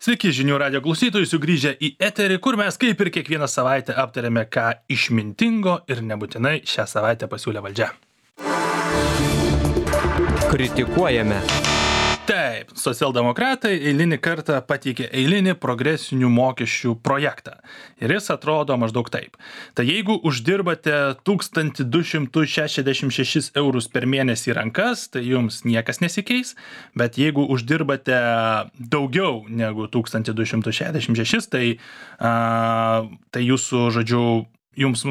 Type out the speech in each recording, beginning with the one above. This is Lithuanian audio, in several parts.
Sveiki žinių radio klausytojai, sugrįžę į eterį, kur mes kaip ir kiekvieną savaitę aptarėme, ką išmintingo ir nebūtinai šią savaitę pasiūlė valdžia. Kritikuojame. Taip, socialdemokratai eilinį kartą pateikė eilinį progresinių mokesčių projektą. Ir jis atrodo maždaug taip. Tai jeigu uždirbate 1266 eurus per mėnesį rankas, tai jums niekas nesikeis, bet jeigu uždirbate daugiau negu 1266, tai jūsų, žodžiu, jums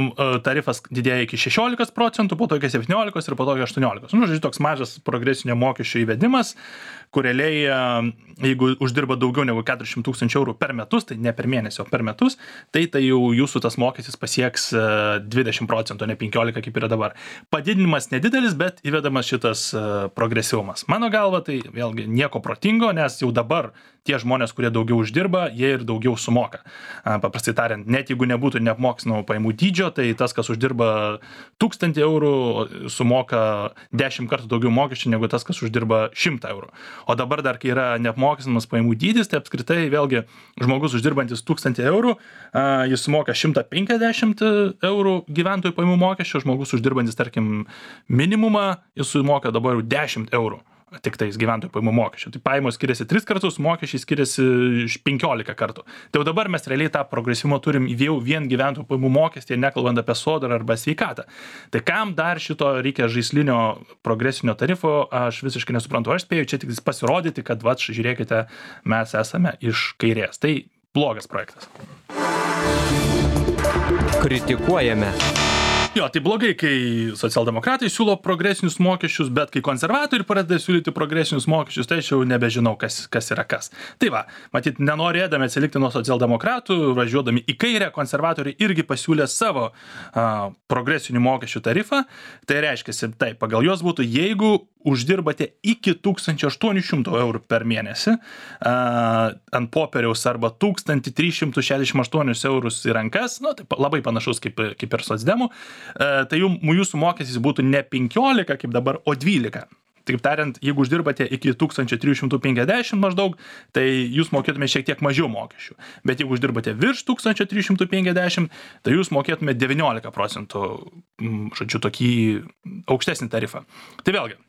tarifas didėja iki 16%, po to iki 17% ir po to iki 18%. Žodžiu, toks mažas progresinio mokesčio įvedimas, kur realiai, jeigu uždirba daugiau negu 400 000 eurų per metus, tai ne per mėnesį, o per metus, tai jau jūsų tas mokestis pasieks 20%, ne 15%, kaip yra dabar. Padidinimas nedidelis, bet įvedamas šitas progresyvumas. Mano galva, tai vėlgi nieko protingo, nes jau dabar tie žmonės, kurie daugiau uždirba, jie ir daugiau sumoka. Paprastai tariant, net jeigu nebūtų neapmokestinamo pajamų dydžio, tai tas, kas uždirba 1000 eurų, sumoka 10 kartų daugiau mokesčių negu tas, kas uždirba 100 eurų. O dabar dar, kai yra neapmokestinamas pajamų dydis, tai apskritai vėlgi žmogus uždirbantis 1000 eurų, jis sumoka 150 eurų gyventojų pajamų mokesčio, žmogus uždirbantis, tarkim, minimumą, jis sumoka dabar jau 10 eurų. Tik tais gyventojų pajamų mokesčio. Tai pajamos skiriasi 3 kartus, mokesčiai skiriasi 15 kartų. Tai jau dabar mes realiai tą progresyvumą turim jau vien gyventojų pajamų mokestį, nekalbant apie sodrą arba sveikatą. Tai kam dar šito reikia žaislinio progresinio tarifo, aš visiškai nesuprantu. Aš spėju čia tik pasirodyti, kad žiūrėkite, mes esame iš kairės. Tai blogas projektas. Kritikuojame. Jo, tai blogai, kai socialdemokratai siūlo progresinius mokesčius, bet kai konservatoriai pradeda siūlyti progresinius mokesčius, tai aš jau nebežinau, kas yra kas. Tai va, matyt, nenorėdami atsilikti nuo socialdemokratų, važiuodami į kairę, konservatoriai irgi pasiūlė savo progresinių mokesčių tarifą. Tai reiškia, taip, pagal juos būtų, jeigu uždirbate iki 1800 eurų per mėnesį ant popieriaus arba 1368 eurus į rankas, tai labai panašus kaip ir socdemų, tai jūsų mokestis būtų ne 15 kaip dabar, o 12. Taip tariant, jeigu uždirbate iki 1350 maždaug, tai jūs mokėtume šiek tiek mažiau mokesčių. Bet jeigu uždirbate virš 1350, tai jūs mokėtume 19%, žodžiu, tokį aukštesnį tarifą. Tai vėlgi,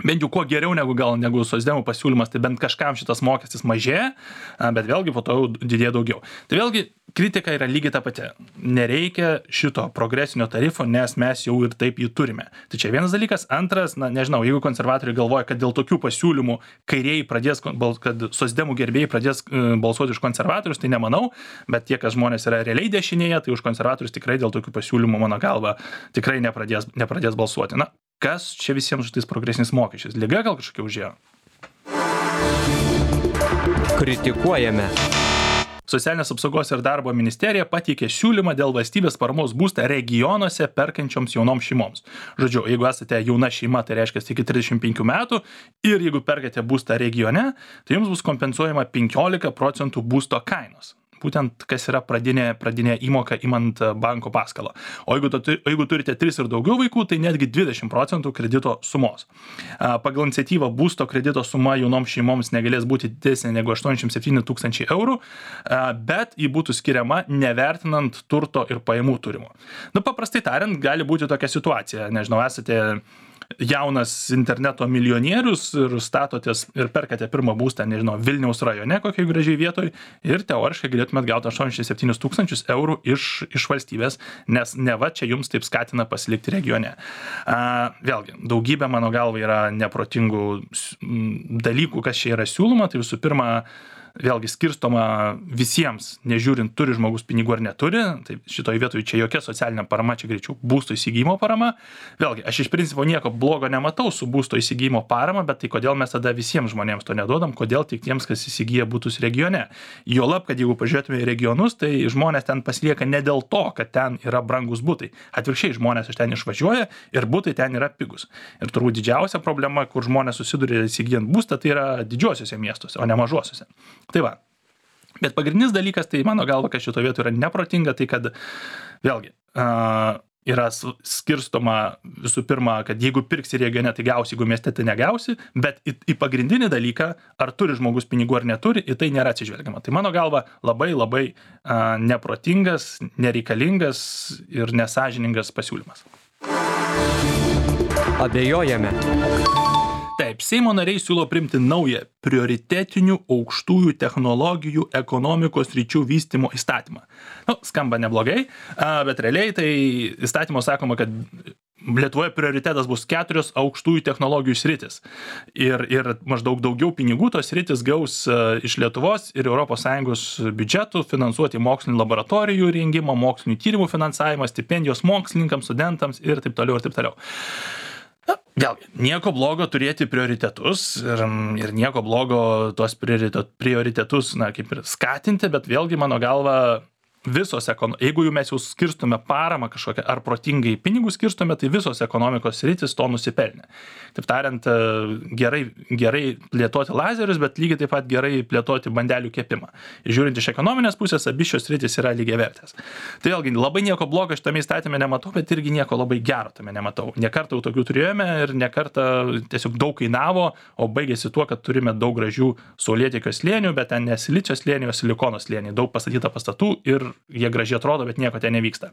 bent jau kuo geriau negu socdemų pasiūlymas, tai bent kažkam šitas mokestis mažėja, bet vėlgi po to jau didėja daugiau. Tai vėlgi kritika yra lygiai ta pati. Nereikia šito progresinio tarifo, nes mes jau ir taip jį turime. Tai čia vienas dalykas. Antras, nežinau, jeigu konservatoriai galvoja, kad dėl tokių pasiūlymų kairieji pradės, kad socdemų gerbėjai pradės balsuoti už konservatorius, tai nemanau, bet tie, kas žmonės yra realiai dešinėje, tai už konservatorius tikrai dėl tokių pasiūlymų, mano galva, tikrai nepradės balsuoti. Kas čia visiems šitais progresiniais mokesčiais? Liga gal kažkokia užėjo? Kritikuojame. Socialinės apsaugos ir darbo ministerija pateikė siūlymą dėl valstybės paramos būstą regionuose perkančioms jaunoms šeimoms. Žodžiu, jeigu esate jauna šeima, tai reiškia iki 35 metų ir jeigu perkate būstą regione, tai jums bus kompensuojama 15% būsto kainos. Būtent kas yra pradinė įmoka imant banko paskolą. O jeigu turite 3 ir daugiau vaikų, tai netgi 20% kredito sumos. Pagal iniciatyvą būsto kredito suma jaunoms šeimoms negalės būti didesnė negu 87 000 eurų, bet ji būtų skiriama nevertinant turto ir pajamų turimo. Paprastai tariant, gali būti tokia situacija. Nežinau, esate jaunas interneto milijonierius ir statotės ir perkate pirmą būstą, nežinau, Vilniaus rajone kokiai gražiai vietoj ir teoriškai galėtumėt gauti 87 000 eurų iš valstybės, nes neva čia jums taip skatina pasilikti regione. Vėlgi, daugybė mano galva yra neprotingų dalykų, kas čia yra siūloma. Tai visų pirma, vėlgi skirstoma visiems, nežiūrint, turi žmogus pinigų ar neturi. Tai šitoje vietoje čia jokia socialinė parama, čia greičiau būsto įsigijimo parama. Vėlgi, aš iš principo nieko blogo nematau su būsto įsigijimo parama, bet tai kodėl mes tada visiems žmonėms to neduodam, kodėl tik tiems, kas įsigyja būtus regione. Juolab, kad jeigu pažiūrėtume į regionus, tai žmonės ten pasilieka ne dėl to, kad ten yra brangus būtai. Atvirkščiai, žmonės iš ten išvažiuoja ir būtai ten yra pigus. Ir turbūt didžiausia problema, kur žmonės susiduria įsigijant būstą, tai yra didžiuosiuose miestuose, o ne mažuosiuose. Tai va. Bet pagrindinis dalykas, tai mano galva, kad šito vietoje yra neprotinga, tai kad vėlgi, yra skirstoma visų pirma, kad jeigu pirksi regione, tai gausi, jeigu mieste, tai negausi, bet į pagrindinį dalyką, ar turi žmogus pinigų ar neturi, į tai nėra atsižvelgiama. Tai mano galva labai neprotingas, nereikalingas ir nesąžiningas pasiūlymas. Abejojame. Taip, Seimo nariai siūlo priimti naują prioritetinių aukštųjų technologijų ekonomikos sričių vystymo įstatymą. Skamba neblogai, bet realiai tai įstatymo sakoma, kad Lietuvoje prioritetas bus 4 aukštųjų technologijų sritis. Ir maždaug daugiau pinigų tos sritis gaus iš Lietuvos ir ES biudžetų finansuoti mokslinių laboratorijų rengimą, mokslinių tyrimų finansavimą, stipendijos mokslininkams, studentams ir taip toliau ir taip toliau. Vėlgi, nieko blogo turėti prioritetus ir nieko blogo tuos prioritetus, kaip ir skatinti, bet vėlgi mano galva jeigu jau mes jau skirstume paramą kažkokią ar protingai pinigų skirstume, tai visos ekonomikos sritis to nusipelnė. Taip tariant, gerai plėtoti lazerius, bet lygiai taip pat gerai plėtoti bandelių kepimą. Žiūrint iš ekonominės pusės, abi šios sritis yra lygiavertės. Tai vėlgi, labai nieko blogo šitame įstatyme nematau, bet irgi nieko labai gero tame nematau. Nekartą jau tokių turėjome ir nekartą tiesiog daug kainavo, o baigėsi tuo, kad turime daug gražių saulėtekio slėnių, bet ten ne silicio slėnių, o silikono slėnių. Daug pastatyta pastatų ir jie gražiai atrodo, bet nieko ten nevyksta.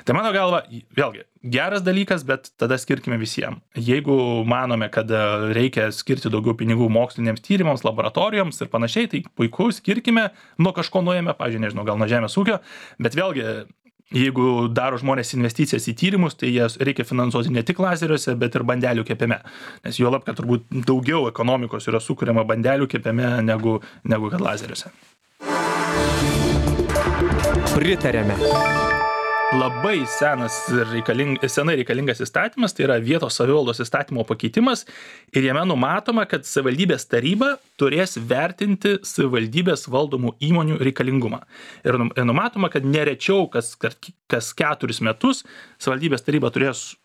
Tai mano galva, vėlgi, geras dalykas, bet tada skirkime visiems. Jeigu manome, kad reikia skirti daugiau pinigų moksliniams tyrimams, laboratorijoms ir panašiai, tai puiku, skirkime, nuo kažko nuėjame, pavyzdžiui, nežinau, gal nuo žemės ūkio, bet vėlgi, jeigu daro žmonės investicijas į tyrimus, tai jas reikia finansuoti ne tik lazeriuose, bet ir bandelių kepime. Nes juolab, kad turbūt daugiau ekonomikos yra sukuriama bandelių kepime negu kad lazeriuose. Pritarėme. Labai senai reikalingas įstatymas, tai yra vietos savivaldos įstatymo pakeitimas ir jame numatoma, kad savivaldybės taryba turės vertinti savivaldybės valdomų įmonių reikalingumą. Ir numatoma, kad nerečiau kas 4 metus savivaldybės taryba turės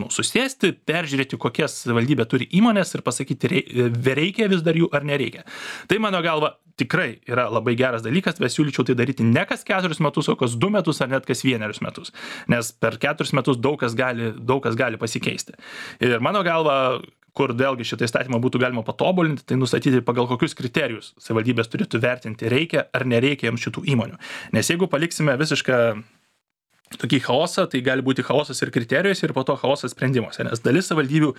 susėsti, peržiūrėti, kokias savivaldybė turi įmonės ir pasakyti, reikia vis dar jų ar nereikia. Tai mano galva tikrai yra labai geras dalykas, bet siūlyčiau tai daryti ne kas 4 metus, o kas 2 metus ar net kas 1 metus. Nes per 4 metus daug kas gali pasikeisti. Ir mano galva, kur vėlgi šitą įstatymą būtų galima patobulinti, tai nustatyti pagal kokius kriterijus savivaldybės turėtų vertinti, reikia ar nereikia jiems šitų įmonių. Nes jeigu paliksime visišką tokį chaosą, tai gali būti chaosas ir kriterijuose ir po to chaosas sprendimuose, nes dalis savivaldybių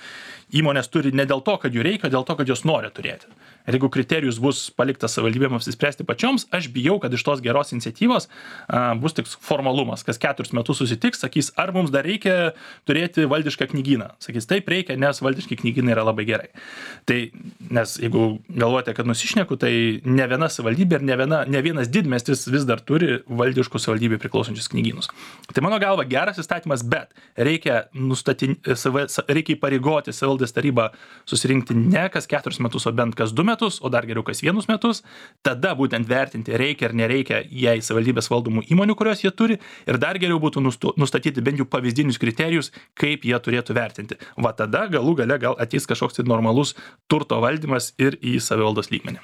įmonės turi ne dėl to, kad jų reikia, o dėl to, kad jos nori turėti. Ir jeigu kriterijus bus paliktas savivaldybėms apsispręsti pačioms, aš bijau, kad iš tos geros iniciatyvos bus tik formalumas, kas 4 metus susitiks, sakys, ar mums dar reikia turėti valdišką knygyną. Sakys, taip reikia, nes valdiški knygynai yra labai gerai. Tai, nes jeigu galvojate, kad nusišneku, tai ne viena savivaldybė ir ne vienas didmiestis vis dar turi valdiškų savivaldybių priklausančius knygynus. Tai mano galva geras įstatymas, bet reikia įpareigoti savivaldės tarybą susirinkti ne kas 4 metus, o bent kas 2 metus, o dar geriau kas 1 metus, tada būtent vertinti reikia ar nereikia jai savivaldybės valdomų įmonių, kurios jie turi, ir dar geriau būtų nustatyti bent jau pavyzdinius kriterijus, kaip jie turėtų vertinti. Va tada galų gale gal ateis kažkoks tai normalus turto valdymas ir į savivaldos lygmenį.